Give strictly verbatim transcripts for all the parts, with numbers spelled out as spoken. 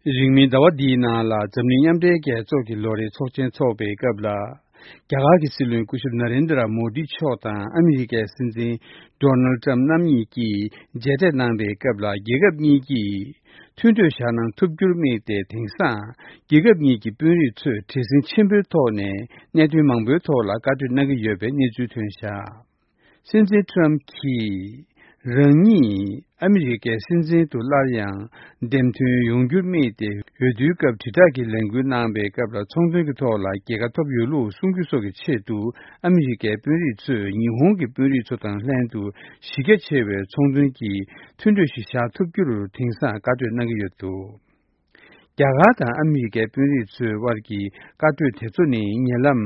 རིང་མིན་ཟླ་བ་འདིའི་ནང་ལ་འཛམ་གླིང་མཉམ་འབྲེལ་རྒྱལ་ཚོགས་ཀྱི་ལོ་རེའི་ཚོགས་ཆེན་འཚོགས་པའི་སྐབས་ལ། རྒྱ་གར་གྱི་སྲིད་བློན་སྐུ་ཞབས་ན་རེན་དྲ་མོ་དི་མཆོག་དང་ཨ་མི་རི་ཀའི་སྲིད་འཛིན་ཌོ་ནལ་ཌི་ཊརམ་རྣམ་གཉིས་ཀྱིས་མཇལ་འཕྲད་གནང་བའི་སྐབས་ལ། རྒྱལ་ཁབ་གཉིས་ཀྱིས་མཐུན་གྲོས་བཞག་གནང་ཐུབ་རྒྱུར་དམིགས་ཏེ། དེང་སང་རྒྱལ་ཁབ་གཉིས་ཀྱི་དཔོན་རིགས་ཚོས་བྲེལ་ཟིང་ཆེན་པོའི་ཐོག་ནས་གནད་དོན་མང་པོའི་ཐོག་ལ་བཀའ་གྲོས་གནང་གི་ཡོད་པའི་གནས་ཚུལ་ཐོན་བཞག་སྲིད་འཛིན་ཊརམ་གྱིས་རང་ཉིད་ཨ་མི་རི་ཀའི་སྲིད་འཛིན་དུ་སླར་ཡང་འདེམས་ཐོན་ཡོང་རྒྱུར་དམིགས་ཏེ། འོས་བསྡུའི་སྐབས་དྲིལ་བསྒྲགས་ཀྱི་ལས་འགུལ་གནང་བའི་སྐབས་ལ། ཚོང་དོན་གྱི་ཐོག་ལ་རྒྱལ་ཁ་ཐོབ་ཡོད་ལུགས་གསུང་རྒྱུ་སོགས་ཀྱི་ཆེད་དུ། ཨ་མི་རི་ཀའི་དཔོན་རིགས་ཚོས་ཉི་ཧོང་གི་དཔོན་རིགས་ཚོ་དང་ལྷན་དུ་གཞི་རྒྱ་ཆེ་བའི་ཚོང་དོན་གྱི་མཐུན་གྲོས་ཤིག་བཞག་ཐུབ་རྒྱུར་དེང་སང་བཀའ་གྲོས་གནང་གི་ཡོད་འདུག་རྒྱ་གར་དང་ཨ་མི་རི་ཀའི་དཔོན་རིགས་ཚོའི་དབར་གྱི་བཀའ་གྲོས་དེ་ཚོ་ནི། ཉེ་ལམ་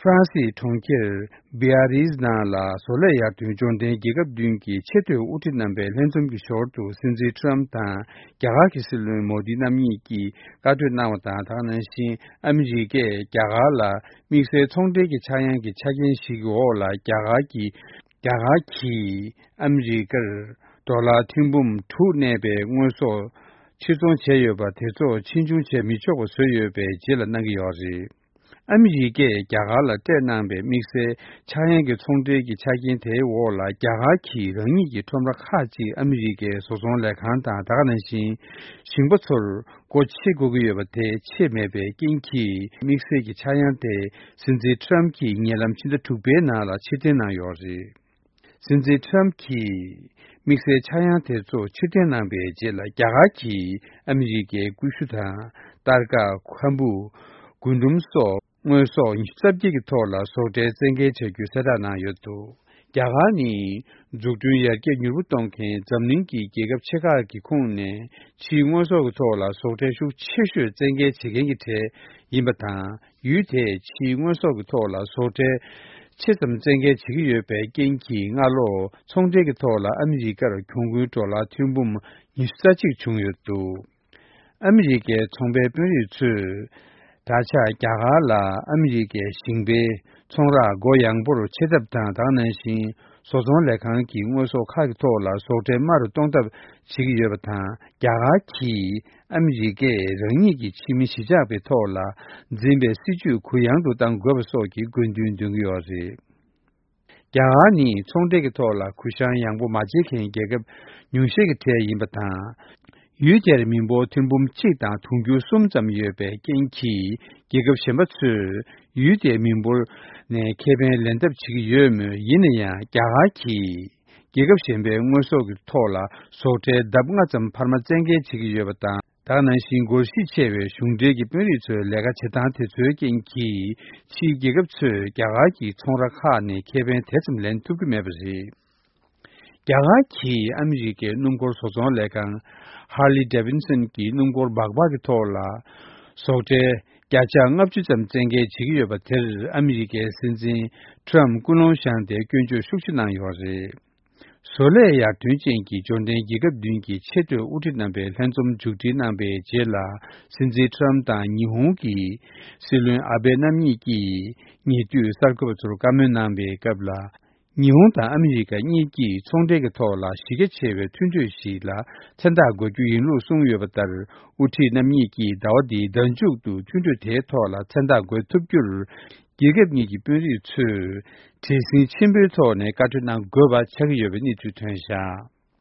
ཧྥ་རན་སིའི་གྲོང་ཁྱེར་བི་ཡ་རིས་ནང་ལ། བཟོ་ལས་ཡར་ཐོན་འབྱོར་ལྡན་རྒྱལ་ཁབ་བདུན་གྱི་ཆེས་མཐོའི་དབུ་ཁྲིད་རྣམ་པའི་ལྷན་འཛོམས་ཀྱི་ཞོར་དུ། སྲིད་འཛིན་ཊརམ་དང་རྒྱ་གར་གྱི་སྲིད་བློན་མོ་དི་རྣམ་གཉིས་ཀྱིས་བཀའ་གྲོས་གནང་བ་དང་། དེ་ག་ནང་བཞིན་ཨ་མི་རི་ཀས་རྒྱ་གར་ལ་དམིགས་བསལ་ཚོང་འབྲེལ་གྱི་ཆག་ཡང་གི་ཆ་རྐྱེན་ཞིག་གི་འོག་ལ། རྒྱ་གར་གྱི་རྒྱ་གར་གྱིས་ཨ་མི་རི་ཀར་ཌོ་ལར་ཐེར་འབུམ་དྲུག་གནས་པའི་དངོས་ཟོག་ཕྱིར་ཚོང་བྱས་ཡོད་པ་དེ་ཚོ་ཕྱིས་འབྱུང་བྱེད་མི་ཆོག་པ་བཟོས་ཡོད་པའི་རྗེས་ལ་གནང་གི་ཡོད་རེད། ཨ་མི་རི་ཀས་རྒྱ་གར་ལ་སྤྲད་གནང་པའི་དམིགས་བསལ་ཆག་ཡང་གི་ཚོང་འབྲེལ་གྱི་ཆ་རྐྱེན་དེའི་འོག་ལ། རྒྱ་གར་གྱིས་རང་ཉིད་ཀྱི་ཁྲོམ་ར་ཁག་ཅིག་ཨ་མི་རི་ཀའི་བཟོ་ཚོང་ལས་ཁང་དང་། དེ་ག་ནང་བཞིན་ཞིང་པ་ཚོར་སྒོ་ཕྱེ་དགོས་ཀྱི་ཡོད་པ་དེ་ཕྱེ་མེད་པའི་རྐྱེན་གྱིས། དམིགས་བསལ་གྱི་ཆག་ཡང་དེ་སྲིད་འཛིན་ཊརམ་གྱིས་ཉེ་ལམ་ཕྱི་ཟླ་དྲུག་པའི་ནང་ལ་ཕྱིར་འཐེན་གནང་ཡོད་རེད། སྲིད་འཛིན་ཊརམ་གྱིས་དམིགས་བསལ་ཆག་ཡང་དེ་ཚོ་ཕྱིར་འཐེན་གནང་པའི་རྗེས་ལ། རྒྱ་གར་གྱིས་ཨ་མི་རི་ཀའི་ཀུ་ཤུ་དང་། སྟར་ཀ། ཁམ་བུ། རྒུན་འབྲུམ་སོགས་དངོས་ཟོག་ཉི་ཤུ་རྩ་བརྒྱད་ཀྱི་ཐོག་ལ་ཟོག་ཁྲལ་བཙན་འགེལ་བྱ་རྒྱུ་གསལ་བསྒྲགས་གནང་ཡོད་འདུག་རྒྱ་གར་ནི་འཛུགས་སྐྲུན་ཡར་རྒྱས་མྱུར་པོ་གཏོང་མཁན་འཛམ་གླིང་གི་རྒྱལ་ཁབ་ཆེ་ཁག་གི་ཁོངས་ནས། ཕྱིའི་དངོས་ཟོག་གི་ཐོག་ལ་ཟོག་ཁྲལ་ཤུགས་ཆེ་ཤོས་བཙན་འགེལ་བྱེད་མཁན་གྱི་གྲས་ཡིན་པ་དང་། ཡུལ་དེས་ཕྱིའི་དངོས་ཟོག་གི་ཐོག་ལ་ཟོག་ཁྲལ་ཆེ་ཙམ་བཙན་འགེལ་བྱེད་ཀྱི་ཡོད་པའི་རྐྱེན་གྱིས། སྔ་ལོ་ཚོང་འབྲེལ་གྱི་ཐོག་ལ་ཨ་མི་རི་ཀར་གྱོང་གུན་ཌོ་ལར་ཐེར་འབུམ་ཉི་ཤུ་རྩ་གཅིག་བྱུང་ཡོད་འདུག་ཨ་མི་རི་ཀའི་ཚོང་པའི་དཔོན་རིགས་ཚོས་ད་ཆ་རྒྱ་གར་ལ་ཨ་མི་རི་ཀའི་ཞིང་པའི་ཚོང་ར་སྒོ་ཡངས་པོར་ཕྱེ་ཐབས་དང་། དེ་ག་ནང་བཞིན་བཟོ་ཚོང་ལས་ཁང་གི་དངོས་ཟོག་ཁག་གི་ཐོག་ལ་ཟོག་ཁྲལ་དམའ་རུ་གཏོང་ཐབས་བྱེད་ཀྱི་ཡོད་པ་དང་། རྒྱ་གར་གྱིས་ཨ་མི་རི་ཀས་རང་ཉིད་ཀྱི་ཕྱི་མི་གཞིས་ཆགས་པའི་ཐོག་ལ་འཛིན་པའི་སྲིད་ཇུས་གུ་ཡངས་དུ་གཏང་དགོས་པ་སོགས་ཀྱི་དགོས་འདུན་འདོན་གྱི་ཡོད་རེད། རྒྱ་གར་ནི་ཚོང་འབྲེལ་གྱི་ཐོག་ལ་གུ་བཤངས་ཡང་པོ་མ་བྱེད་མཁན་རྒྱལ་ཁབ་ཉུང་ཤས་ཀྱི་གྲས་ཡིན་པ་དང་། ཡུལ་དེར་མི་འབོར་ཐེར་འབུམ་གཅིག་དང་དུང་ཕྱུར་གསུམ་ཙམ་ཡོད་པའི་རྐྱེན་གྱིས། རྒྱལ་ཁབ་གཞན་པ་ཚོས་ཡུལ་དེའི་མི་འབོར་ནས་ཁེ་ཕན་ལེན་ཐབས་བྱེད་ཀྱི་ཡོད་མོད། ཡིན་ན་ཡང་རྒྱ་གར་གྱིས་རྒྱལ་ཁབ་གཞན་པའི་དངོས་ཟོག་གི་ཐོག་ལ་ཟོག་ཁྲལ་ལྡབ་ལྔ་ཙམ་འཕར་མ་བཙན་འགེལ་བྱེད་ཀྱི་ཡོད་པ་དང་། དེ་ག་ནང་བཞིན་སྒོར་གཞི་ཆེ་བའི་གཞུང་འབྲེལ་གྱི་དཔོན་རིགས་ཚོའི་ལས་ཀ་བྱེད་སྟངས་དེ་ཚོའི་རྐྱེན་གྱིས། ཕྱིའི་རྒྱལ་ཁབ་ཚོས་རྒྱ་གར་གྱི་ཚོང་ར་ཁག་ནས་ཁེ་ཕན་དེ་ཙམ་ལེན་ཐུབ་ཀྱི་མེད་པ་རེད། རྒྱ་གར་གྱིས་ཨ་མི་རི་ཀའི་སྣུམ་འཁོར་བཟོ་ཚོང་ལས་ཁང་Harley Davidson གྱི་སྣུམ་འཁོར་སྦག་སྦག་གི་ཐོག་ལ་ཟོག་ཁྲལ་བརྒྱ་ཆ་ལྔ་བཅུ་ཙམ་བཙན་འགེལ་བྱེད་ཀྱི་ཡོད་པ་དེར། ཨ་མི་རི་ཀའི་སྲིད་འཛིན་ཊརམ་ཀུན་སློང་བཞག་སྟེ་སྐྱོན་བརྗོད་ཤུགས་ཆེ་གནང་ཡོད་རེད། བཟོ་ལས་ཡར་ཐོན་ཅན་གྱི་འབྱོར་ལྡན་རྒྱལ་ཁབ་བདུན་གྱི་ཆེས་མཐོའི་དབུ་ཁྲིད་རྣམ་པའི་ལྷན་འཛོམས་མཇུག་སྒྲིལ་གནང་པའི་རྗེས་ལ། སྲིད་འཛིན་ཊརམ་དང་ཉི་ཧོང་གི་སྲིད་བློན་ཨ་བྷེ་རྣམ་གཉིས་ཀྱིས་ཉེ་དུས་གསར་འགོད་པ་ཚོར་བཀའ་མོལ་གནང་པའི་སྐབས་ལ། ཉི་ཧོང་དང་ཨ་མི་རི་ཀ་གཉིས་ཀྱིས་ཚོང་འབྲེལ་གྱི་ཐོག་ལ་གཞི་རྒྱ་ཆེ་བའི་མཐུན་གྲོས་ཤིག་ལ་མཚན་རྟགས་འགོད་རྒྱུ་ཡིན་ལུགས་གསུངས་ཡོད་པ་ལྟར། དབུ་ཁྲིད་རྣམ་གཉིས་ཀྱིས་ཟླ་བ་འདིའི་ཟླ་མཇུག་ཏུ་མཐུན་གྲོས་དེའི་ཐོག་ལ་མཚན་རྟགས་འགོད་ཐུབ་རྒྱུར། རྒྱལ་ཁབ་གཉིས་ཀྱི་དཔོན་རིགས་ཚོས་བྲེལ་ཟིང་ཆེན་པོའི་ཐོག་ནས་བཀའ་གྲོས་གནང་དགོས་པ་ཆགས་ཀྱི་ཡོད་པའི་གནས་ཚུལ་ཐོན་བཞག